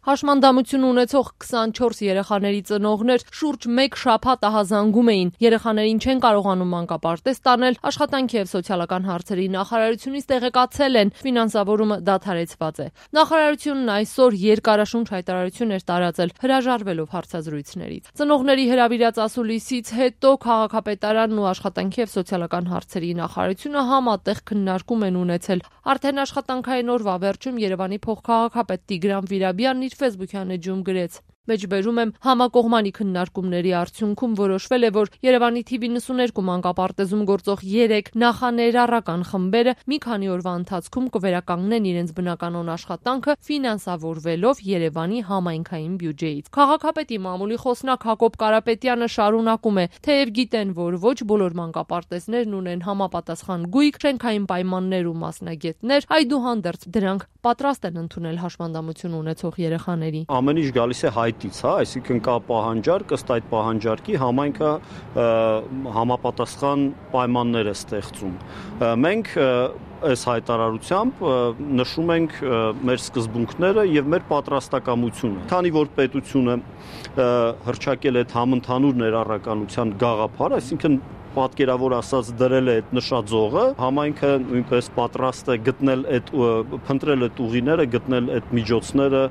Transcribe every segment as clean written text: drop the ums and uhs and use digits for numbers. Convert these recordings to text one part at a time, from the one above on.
Հաշմանդամություն ունեցող 24 երեխաների ծնողներ շուրջ 1 շաբաթ ահազանգում էին. երեխաներին չեն կարողանում մանկապարտեզ տանել, աշխատանքի և սոցիալական հարցերի նախարարությունից տեղեկացել են, ֆինանսավորումը դադարեցված է։ Նախարարությունն այսօր երկարաշունչ հայտարարություն էր տարածել, հրաժարվելով հարցազրույցներից։ Ծնողների հրավիրած ասուլիսից հետո քաղաքապետարանն ու աշխատանքի և սոցիալական հարցերի նախարարությունը համատեղ քննարկում են ունեցել։ Արդեն աշխատանքային օրվա վերջում Երևանի փոխքաղաքապետ Տիգրան Վիրաբյանն իր ֆեյսբուքյան էջում գրեց. Մեջբերում եմ համակողմանի քննարկումների արդյունքում որոշվել է, որ Երևանի թիվ 92 մանկապարտեզում գործող 3 նախաներառական խմբերը մի քանի օրվա ընթացքում կվերականգնեն իրենց բնականոն աշխատանքը ֆինանսավորվելով Երևանի համայնքային բյուջեից։ Քաղաքապետի մամուլի խոսնակ Հակոբ Կարապետյանը շարունակում է, թեև գիտեն, որ ոչ բոլոր մանկապարտեզներն ունեն համապատասխան գույք, շենքային պայմաններ ու մասնագետներ, այդուհանդերձ դրանք պատրաստ են ընդունել հաշմանդամություն ունեցող երեխաների։ Ամեն ինչ գալիս է հայտից, այսինքն կա պահանջարկ, ըստ այդ պահանջարկի համայնքը համապատասխան պայմաններ է ստեղծում։ Մենք այս հայտարարությամբ նշում ենք մեր սկզբունքները եւ մեր պատրաստակամությունը։ Քանի որ պետությունը հռչակել է համընդհանուր ներառականության գաղափար, այսինքն պատկերավոր ասած դրել է այդ նշաձողը, համայնքը նույնպես պատրաստ է փնտրել այդ ուղիները, գտնել այդ միջոցները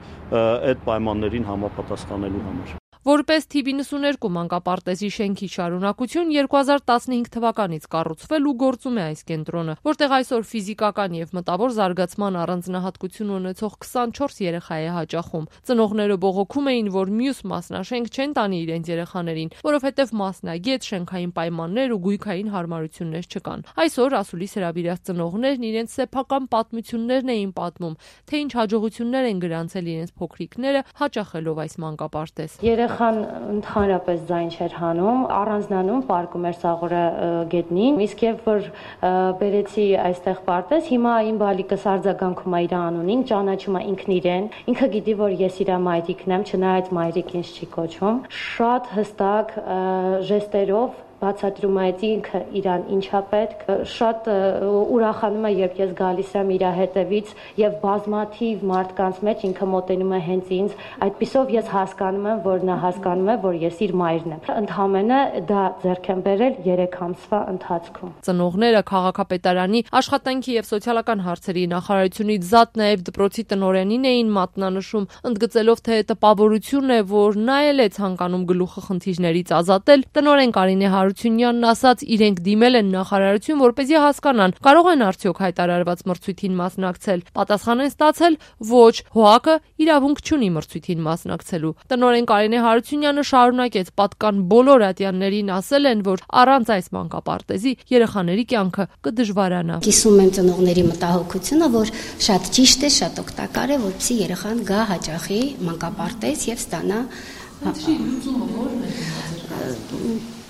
այդ պայմաններին համապատասխանելու համար։ Որպես թիվ 92 մանկապարտեզի շենքի շարունակություն 2015 թվականից կառուցվել ու գործում է այս կենտրոնը, որտեղ այսօր ֆիզիկական եւ մտավոր զարգացման առանձնահատկություն ունեցող 24 երեխա է հաճախում։ Ծնողները բողոքում էին, որ մյուս մասնաշենք չեն տանի իրենց երեխաներին, որովհետեւ մասնագետ, շենքային պայմաններ ու գույքային հարմարություններ չկան։ Այսօր ասուլիս հրավիրած ծնողներն իրենց սեփական պատմություններն էին պատմում, թե ինչ հաջողություններ են գրանցել իրենց փոքրիկները հաճախելով այս մանկապարտեզ։ Երեխան ընդհանրապես ձայն չէր հանում, առանձնանում պարկում էր սաղորը գետնին, իսկ եւ որ բերեցի այստեղ պարտեզ, հիմա իմ բալիկս արձագանքում է իր անունին, ճանաչում է ինքն իրեն, ինքը գիտի, որ ես իր մայրիկն եմ, չնայած մայրիկ ինձ չի կոչում, շատ հստակ ժեստերով բացատրում է ինքը իրան ինչա պետք, շատ ուրախանում է, երբ ես գալիս եմ իր հետևից եւ բազմաթիվ մարդկանց մեջ ինքը մոտենում է հենց ինձ, այդպիսով ես հասկանում եմ, որ նա հասկանում է, որ ես իր մայրն եմ։ Ընդհանրապես դա ձեռք եմ բերել 3 ամսվա ընթացքում։ Ծնողները քաղաքապետարանի աշխատանքի եւ սոցիալական հարցերի նախարարությունից զատ նաեւ դպրոցի տնօրենին էին մատնանշում, ընդգծելով, թե տպավորություն է, որ նա էլ է ցանկանում գլուխը խնդիրներից ազատել։ Տնօրեն Կարինե Հարությունյանն ասաց, իրենք դիմել են նախարարություն, որպեսզի հասկանան, կարող են արդյոք հայտարարված մրցույթին մասնակցել։ Պատասխան են ստացել, ոչ, ՀՕԱԿ-ը իրավունք չունի մրցույթին մասնակցելու։ Տնօրեն Կարինե Հարությունյանը շարունակեց, պատկան բոլոր ատյաններին ասել են, որ առանց այս մանկապարտեզի երեխաների կյանքը կդժվարանա։ Կիսում եմ ծնողների մտահոգությունը, որ շատ ճիշտ է, շատ օգտակար է, որպեսզի երեխան գա հաճախի մանկապարտեզ եւ ստանա։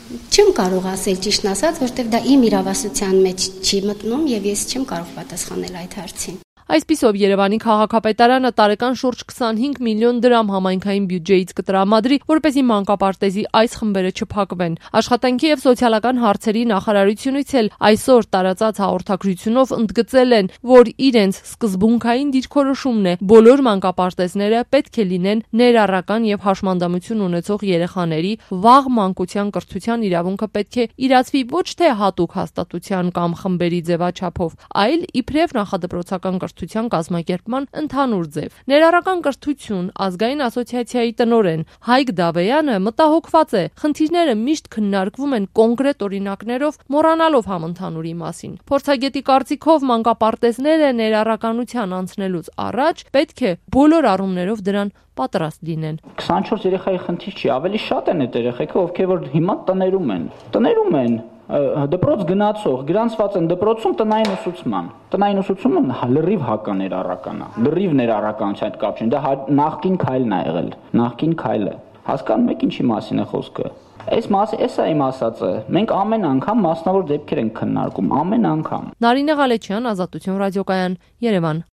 Չեմ կարող ասել ճիշտն ասած, որտեղ դա իմ իրավասության մեջ չի մտնում եւ ես չեմ կարող պատասխանել այդ հարցին։ Այսպիսով Երևանի քաղաքապետարանը տարեկան շուրջ 25 միլիոն դրամ համայնքային բյուջեից կտրամադրի, որպեսզի մանկապարտեզի այս խմբերը չփակվեն։ Աշխատանքի եւ սոցիալական հարցերի նախարարությունից էլ այսօր տարածած հաղորդագրությունով ընդգծել են, որ իրենց սկզբունքային դիրքորոշումն է բոլոր մանկապարտեզները պետք է լինեն ներառական եւ հաշմանդամություն ունեցող երեխաների, վաղ մանկության կրթության իրավունքը պետք է իրացվի ոչ թե հատուկ հաստատության կամ խմբերի ձևաչափով, այլ իբրև նախադպրոցական կազմակերպման ընդհանուր ձև։ Ներառական կրթություն ազգային ասոցիացիայի տնօրեն Հայկ Դավեյանը մտահոգված է, խնդիրները միշտ քննարկվում են կոնկրետ օրինակներով, մոռանալով համընդհանուրի մասին։ Փորձագետի կարծիքով մանկապարտեզները ներառականության անցնելուց առաջ պետք է բոլոր առումներով դրան պատրաստ լինեն։ 24 երեխայի խնդիր չի, ավելի շատ են այդ երեխեքը, ովքեր որ հիմա տներում են դպրոց գնացող, գրանցված են դպրոցում տնային ուսուցման։ Տնային ուսուցումը լրիվ հականերառական է, լրիվ ներառականության հետ կապ չունի, դա նախկին քայլն է եղել, նախկին քայլը։ Հասկանում եք ինչի մասին է խոսքը։ Էսա իմ ասածը, մենք ամեն անգամ մասնավոր դեպքեր ենք քննարկում, ամեն անգամ։ Նարինե Ղալեչյան, Ազատություն ռադիոկայան, Երևան։